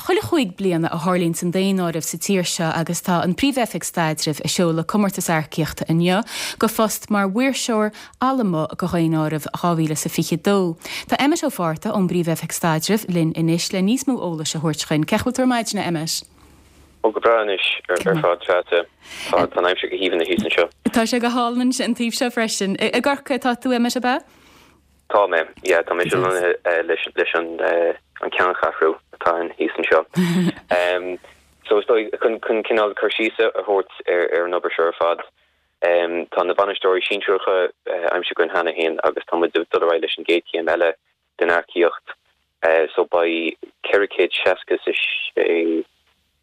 Chuile chúig bliana a tharlaíonns an daonáireamh sa tír seo agus tá an Príomh-Oifig Staidrimh ag seoladh comórtas earcaíochta inniu go phost mar mhaoirseoir allamuigh go Dhaonáireamh 2022. Tá Emmet Ó Fátharta ón bPríomh-Oifig Staidrimh linn anois le níos mó eolais a thabhairt chuinn. Cén chaoi a bhfuil tú ar maidin, a Emmet? Ó go breá anois ar fad Treasa. Tá an aimsir go haoibhinn thíos anseo. Tá sé go hálainn an taobh seo freisin. I gCorcaigh atá tú, Emmet, ab ea? Tá mé, yeah, tá mé lonnaithe leis leis an an ceanncheathrú atá ann thíos anseo. So is dóigh chun chun cineál cur síos a thabhairt ar ar an obair seo ar fad, tá na bainisteoirí sinsearacha aimsithe againn cheana féin agus tá muid ag dul ar aghaidh leis an gcéad chéim eile den earcaíocht. So beidh 466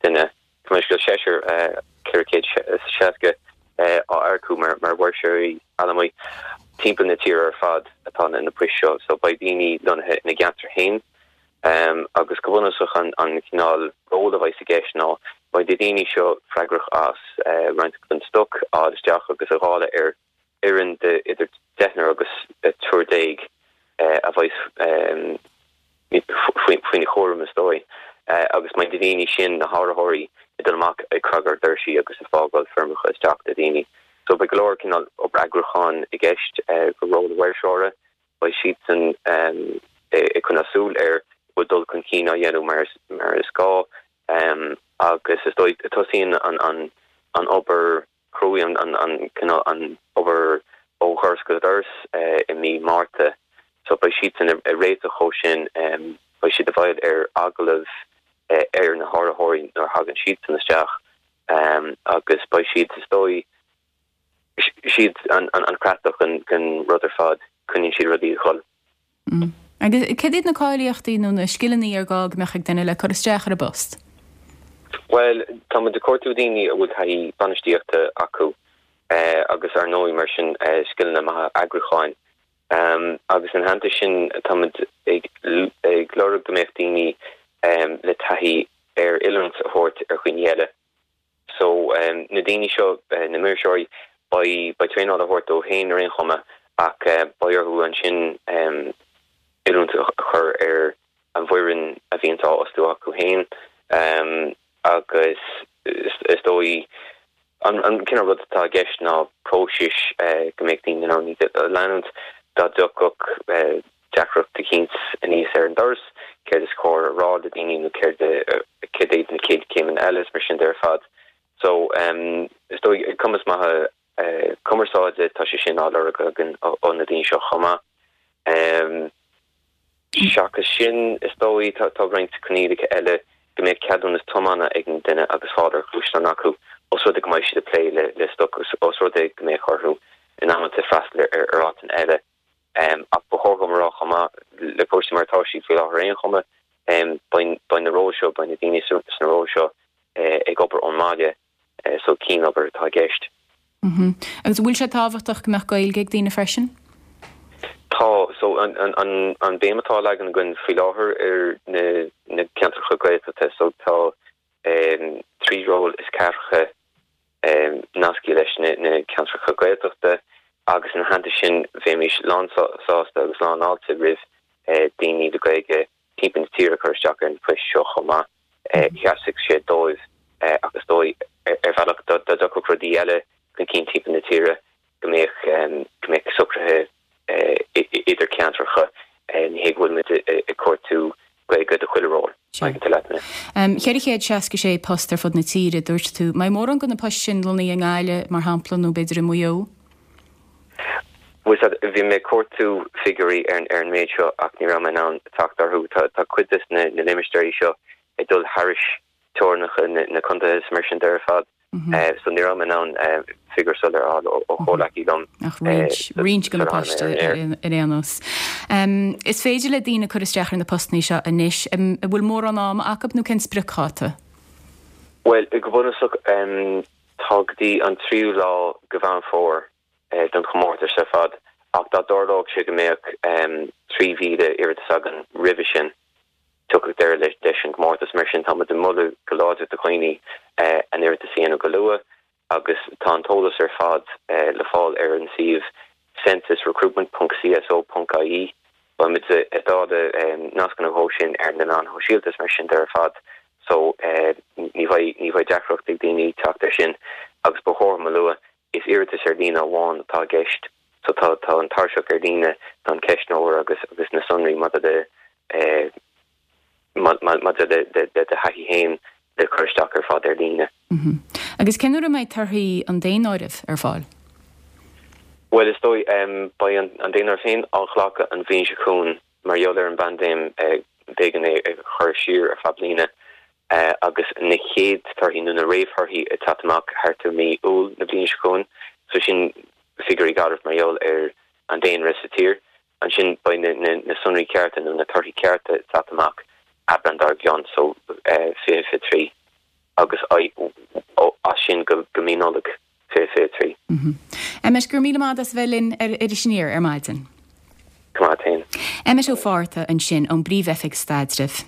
duine, Tá mé scéal seisear 460 á earcú mar mhaoirseoirí allamuigh timpeall na tíre ar fad atá na poist seo. So beidh daoine lonnaithe ina gceantar féin agus go bunúsach an cineál ról a bheidh i gceist ná beidh na daoine seo freagrach as roinnt den stoc a fháil isteach agus a dháileadh ar fhoireann de idir deichniúr agus triúr déag a bheidh faoina chúram, is dóigh, agus beidh na daoine sin, na háiritheoirí, ag dul amach ag cnagadh ar dhoirsí agus ag fágáil foirmeacha isteach do dhaoine. So beidh go leor cineál obair eagrúcháin i gceist go ról an mhaoirseora. Beidh siadsan ag coinneáil súil ar bhfuil dul chun cinn á dhéanamh mar is gá agus is dóigh tosaíonn an obair chruaidh an cineál an obair ó dhoras go doras i mí Márta so beidh siadsan ag réiteach dhó sin, beidh siad i bhfeighil ar agallamh ar na háiritheoirí nuair a thagann siadsan isteach agus beidh siad is dóigh siad an chreatlach den rud ar fad, coinníonn siad rudaí ag dhul. Agus céard iad na cáilíochtaí nó na scileanna ar gá go mbeadh ag duine le cur isteach ar an bpost? Bhuel, tá muid ag cuartú daoine a bhfuil taithí bainistíochta acu agus ar ndóigh mar sin scileanna maithe eagrúcháin. Agus ina theannta sin tá muid ag ag lorg go mbeadh daoine le taithí ar oiliúint a thabhairt ar dhaoine eile. So, na daoine seo, na maoirseoirí, beidh, beidh traenáil á thabhairt dóibh féin ar aon chuma ach beidh orthu ansin oiliúint a chur ar an bhfoireann a bhíonns á fhostú acu féin agus is dóigh an cineál rud atá i gceist ná próisis go mbeadh daoine in ann iad a leanúint dá dtiocfadh deacracht eicínt aníos ar an doras, céard is cóir a rá le daoine nó céard céard iad na chéad chéimeanna eile is mar sin de ar fad. So, is dóigh, cumas maith cumarsáide, tá sé sin á lorg againn ó na daoine seo chomh maith. Seachas sin, is dóigh, tá roinnt coinníollacha eile go mbeadh ceadúnas tiomána ag an duine agus fáil ar ghluaisteán acu, os rud é go mbeidh siad ag plé le stoc, os rud é go mbeadh orthu in amanta freastal ar áiteanna eile. Ach ba chóir dom a rá chomh maith, le cúrsaí mar atá siad faoi láthair ar aon chuma, beidh na róil seo, beidh na daoine sna róil seo ag obair ón mbaile, so cianobair atá i gceist. Agus an bhfuil sé tábhachtach go mbeadh Gaeilge ag daoine freisin? Tá. So an béim atá á leagan againn faoi láthair ar na ceantracha Gaeltachta, so tá 3 ról is ceathracha nasctha leis na ceantracha Gaeltachta agus ina theannta sin bheimis lán sásta agus lán fháilte roimh daoine le Gaeilge timpeall na tíre cur isteach ar na poist seo chomh maith. Sheasfadh sé dóibh ach is dóigh ar bhealach dá dtiocfadh rudaí eile chun cinn timpeall na tíre go mbeadh go mbeadh socruithe idir ceantracha, ní hé go bhfuil muid ag cuartú Gaeilge do chuile ról, maidir leat mé. 466 post ar fud na tíre, dúirt tú. Mbeidh mórán de na poist sin lonnaithe i nGaillimh, mar shampla, nó b'fhéidir i Maigh Eo? Bhuel, bhí mé ag cuartú figiúirí ar an méid seo ach ní raibh mé in ann teacht orthu. Tá cuid de na limistéirí seo ag dul thairis teorainneacha na contaetha is mar sin de ar fad. So ní raibh mé in ann figiúr soiléir a fháil ó chomhleacaí liom. Ach roinnt, roinnt de na poist ar aon nós. Is féidir le daoine cur isteach ar na postanna seo anois. An bhfuil mórán ama acu nó cén spriocdháta? Bhuel, go bunúsach tá go dtí an tríú lá de Mheán Fómhair don chomórtas ar fad ach dá dtarlódh sé go mbeadh 3,000 iarratas againn roimhe sin, tiocfaidh deireadh leis an gcomórtas. Mar sin, tá muid ag moladh go láidir do dhaoine a n-iarratas a dhéanamh go luath agus tá an t-eolas ar fad le fáil ar an suíomh censusrecruitment ponc cso ponc ie. Beidh muid ag dáileadh nascanna dhó sin ar na meáin shóisialta is mar sin de ar fad. So ní bheidh, ní bheidh deacracht ag daoine teacht air sin agus ba chóir dom a lua, is iarratas ar líne amháin atá i gceist. So tá, tá an tairseach ar líne, tá an ceistneoir agus, agus na sonraí maidir le, maidir le do thaithí féin le cur isteach ar fad ar líne. Agus cén uair a mbeidh torthaí an daonáirimh ar fáil? Bhuel, is dóigh, beidh an daonáireamh féin á ghlacadh an bhliain seo chugainn. Mar gheall ar an bpaindéim, b'éigean é a chur siar ar feadh bliana agus na chéad torthaí nó na réamhthorthaí ag teacht amach thart ar mí Iúil na bliana seo chugainn. So sin figiúirí garbh mar gheall ar an daonra sa tír. Ansin beidh na sonraí cearta nó na torthaí cearta ag teacht amach Aibreán dár gcionn, so 2023 agus as sin go mí Nollag 2023. Emmet, go raibh míle maith agat as a bheith linn ar Iris Aniar ar maidin. Go maith féin. Emmet Ó Fátharta ansin ón bPríomh-Oifig Staidrimh.